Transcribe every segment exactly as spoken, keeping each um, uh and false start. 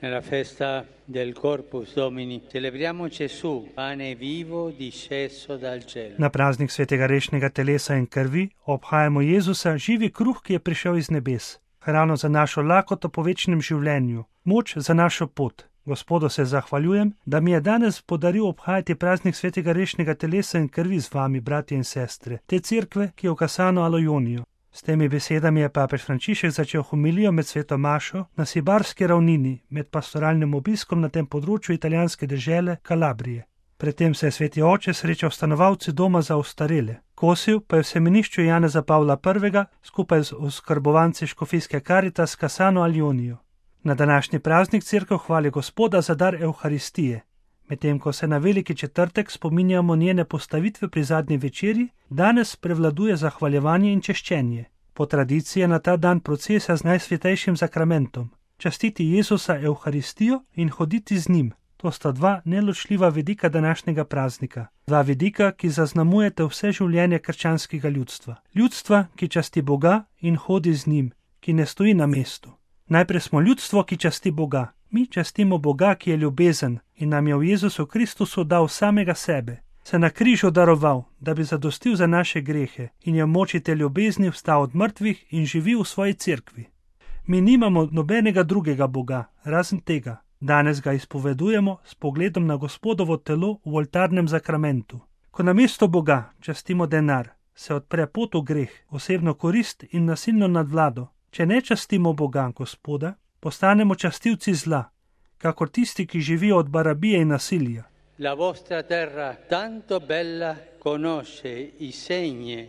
Nella festa del Corpus Domini celebriamo Gesù, pane vivo disceso dal cielo. Na praznik svetega rešnega telesa in krvi obhajamo Jezusa, živi kruh, ki je prišel iz nebes, hrano za našo lakoto po večnem življenju, moč za našo pot. Gospodu se zahvaljujem, da mi je danes podaril obhajati praznik svetega rešnega telesa in krvi z vami, bratje in sestre, te cerkve, ki je v Kasano Alojonijo. S temi besedami je papež Frančišek začel homilijo med sveto mašo na Sibarski ravnini med pastoralnim obiskom na tem področju italijanske dežele Kalabrije. Predtem se je sveti oče srečal stanovalci doma za ostarele. Kosil pa je v semenišču Janeza Pavla prvega skupaj z oskrbovanci škofijske Caritas Kasano Aljonijo. Na današnji praznik cerkev hvali Gospoda za dar Evharistije. Medtem ko se na veliki četrtek spominjamo njene postavitve pri zadnji večerji, danes prevladuje zahvaljevanje in češčenje. Po tradiciji je na ta dan procesija z najsvetejšim sakramentom. Častiti Jezusa Evharistijo in hoditi z njim. To sta dva neločljiva vidika današnjega praznika. Dva vidika, ki zaznamujete vse življenje krščanskega ljudstva. Ljudstva, ki časti Boga in hodi z njim, ki ne stoji na mestu. Najprej smo ljudstvo, ki časti Boga. Mi častimo Boga, ki je ljubezen in nam je v Jezusu Kristusu dal samega sebe, se na križu daroval, da bi zadostil za naše grehe in je v moči te ljubezni vstal od mrtvih in živi v svoji cerkvi. Mi nimamo nobenega drugega Boga, razen tega. Danes ga izpovedujemo s pogledom na Gospodovo telo v oltarnem zakramentu. Ko namesto Boga častimo denar, se odpre pot v greh, osebno korist in nasilno nadvlado. Če ne častimo Boga, Gospoda, postanemo častilci zla, kakor tisti, ki živijo od barabije in nasilja. La vostra terra tanto bella conosce i segni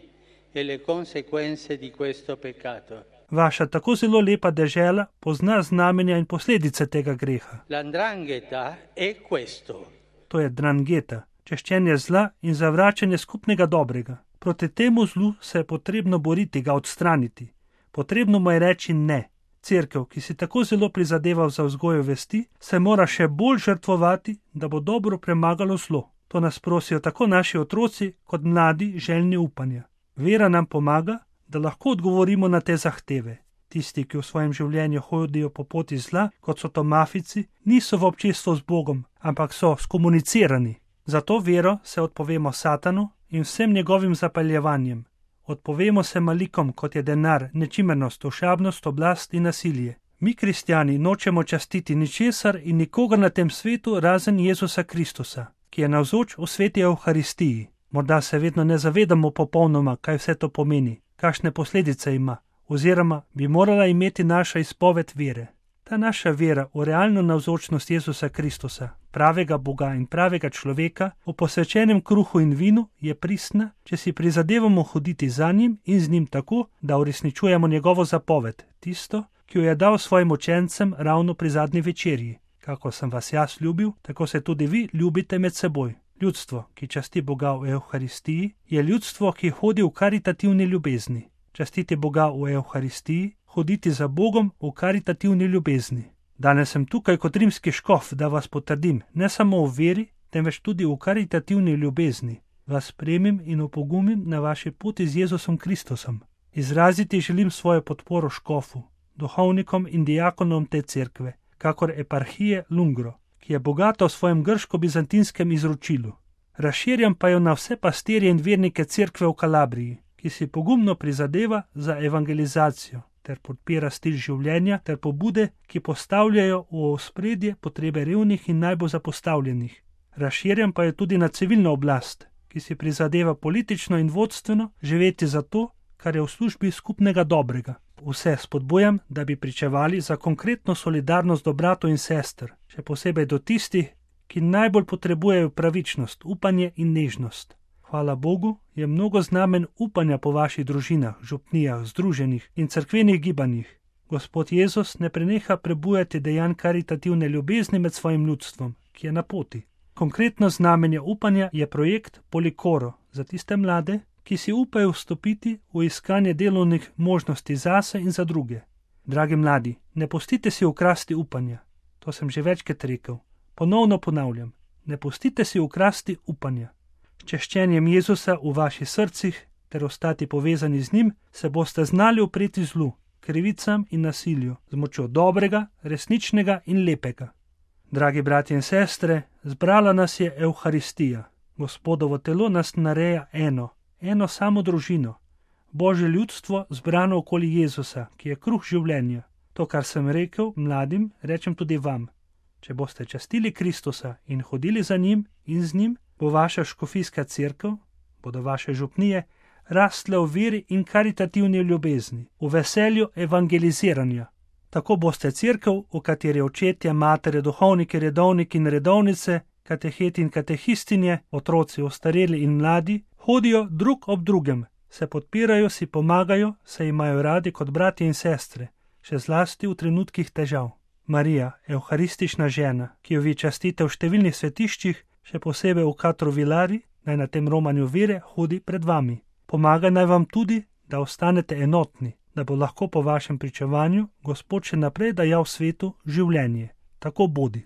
e le conseguenze di questo peccato. Vaša tako zelo lepa dežela pozna znamenja in posledice tega greha. L'andrangheta è questo. To je drangeta, češčenje zla in zavračanje skupnega dobrega. Proti temu zlu se je potrebno boriti, ga odstraniti. Potrebno mu je reči ne. Cerkev, ki si tako zelo prizadeval za vzgojo vesti, se mora še bolj žrtvovati, da bo dobro premagalo zlo. To nas prosijo tako naši otroci kot mladi željni upanja. Vera nam pomaga, da lahko odgovorimo na te zahteve. Tisti, ki v svojem življenju hodijo po poti zla, kot so to mafici, niso v občestvu z Bogom, ampak so skomunicirani. Zato vero se odpovemo Satanu in vsem njegovim zapaljevanjem. Odpovemo se malikom, kot je denar, nečimernost, ošabnost, oblast in nasilje. Mi, kristjani, nočemo častiti ničesar in nikogar na tem svetu razen Jezusa Kristusa, ki je navzoč v sveti Evharistiji. Morda se vedno ne zavedamo popolnoma, kaj vse to pomeni, kakšne posledice ima, oziroma bi morala imeti naša izpoved vere. Ta naša vera v realno navzočnost Jezusa Kristusa, pravega Boga in pravega človeka, v posvečenem kruhu in vinu, je pristna, če si prizadevamo hoditi za njim in z njim tako, da uresničujemo njegovo zapoved, tisto, ki jo je dal svojim učencem ravno pri zadnji večerji. Kako sem vas jaz ljubil, tako se tudi vi ljubite med seboj. Ljudstvo, ki časti Boga v Evharistiji, je ljudstvo, ki hodi v karitativni ljubezni. Častiti Boga v Evharistiji, hoditi za Bogom v karitativni ljubezni. Danes sem tukaj kot rimski škof, da vas potrdim, ne samo v veri, temveč tudi v karitativni ljubezni. Vas spremim in opogumim na vaši poti z Jezusom Kristusom. Izraziti želim svojo podporo škofu, duhovnikom in diakonom te cerkve, kakor eparhije Lungro, ki je bogata v svojem grško-bizantinskem izročilu. Razširjam pa jo na vse pastirje in vernike cerkve v Kalabriji, ki si pogumno prizadeva za evangelizacijo ter podpira stil življenja ter pobude, ki postavljajo v ospredje potrebe revnih in najbolj zapostavljenih. Razširjam pa jo tudi na civilno oblast, ki si prizadeva politično in vodstveno živeti za to, kar je v službi skupnega dobrega. Vse spodbujam, da bi pričevali za konkretno solidarnost do bratov in sester, še posebej do tistih, ki najbolj potrebujejo pravičnost, upanje in nežnost. Hvala Bogu, je mnogo znamen upanja po vaših družinah, župnijah, združenih in cerkvenih gibanjih. Gospod Jezus ne preneha prebujati dejanj karitativne ljubezni med svojim ljudstvom, ki je na poti. Konkretno znamenje upanja je projekt Polikoro za tiste mlade, ki si upajo vstopiti v iskanje delovnih možnosti zase in za druge. Dragi mladi, ne pustite si ukrasti upanja. To sem že večkrat rekel. Ponovno ponavljam, ne pustite si ukrasti upanja. S češčenjem Jezusa v vaših srcih ter ostati povezani z njim, se boste znali upreti zlu, krivicam in nasilju, z močjo dobrega, resničnega in lepega. Dragi bratje in sestre, zbrala nas je Evharistija. Gospodovo telo nas nareja eno, eno samo družino. Božje ljudstvo zbrano okoli Jezusa, ki je kruh življenja. To, kar sem rekel mladim, rečem tudi vam. Če boste častili Kristusa in hodili za njim in z njim, bo vaša škofijska cerkev, bodo vaše župnije, rastle v veri in karitativni ljubezni, v veselju evangeliziranja. Tako boste cerkev, v kateri očetje, matere, duhovniki, redovniki in redovnice, kateheti in katehistinje, otroci, ostareli in mladi, hodijo drug ob drugem, se podpirajo, si pomagajo, se imajo radi kot bratje in sestre, še zlasti v trenutkih težav. Marija, evharistična žena, ki jo vi častite v številnih svetiščih, še posebej v Katru Vilari, naj na tem romanju vere hodi pred vami. Pomaga naj vam tudi, da ostanete enotni, da bo lahko po vašem pričevanju Gospod še naprej dajal svetu življenje. Tako bodi.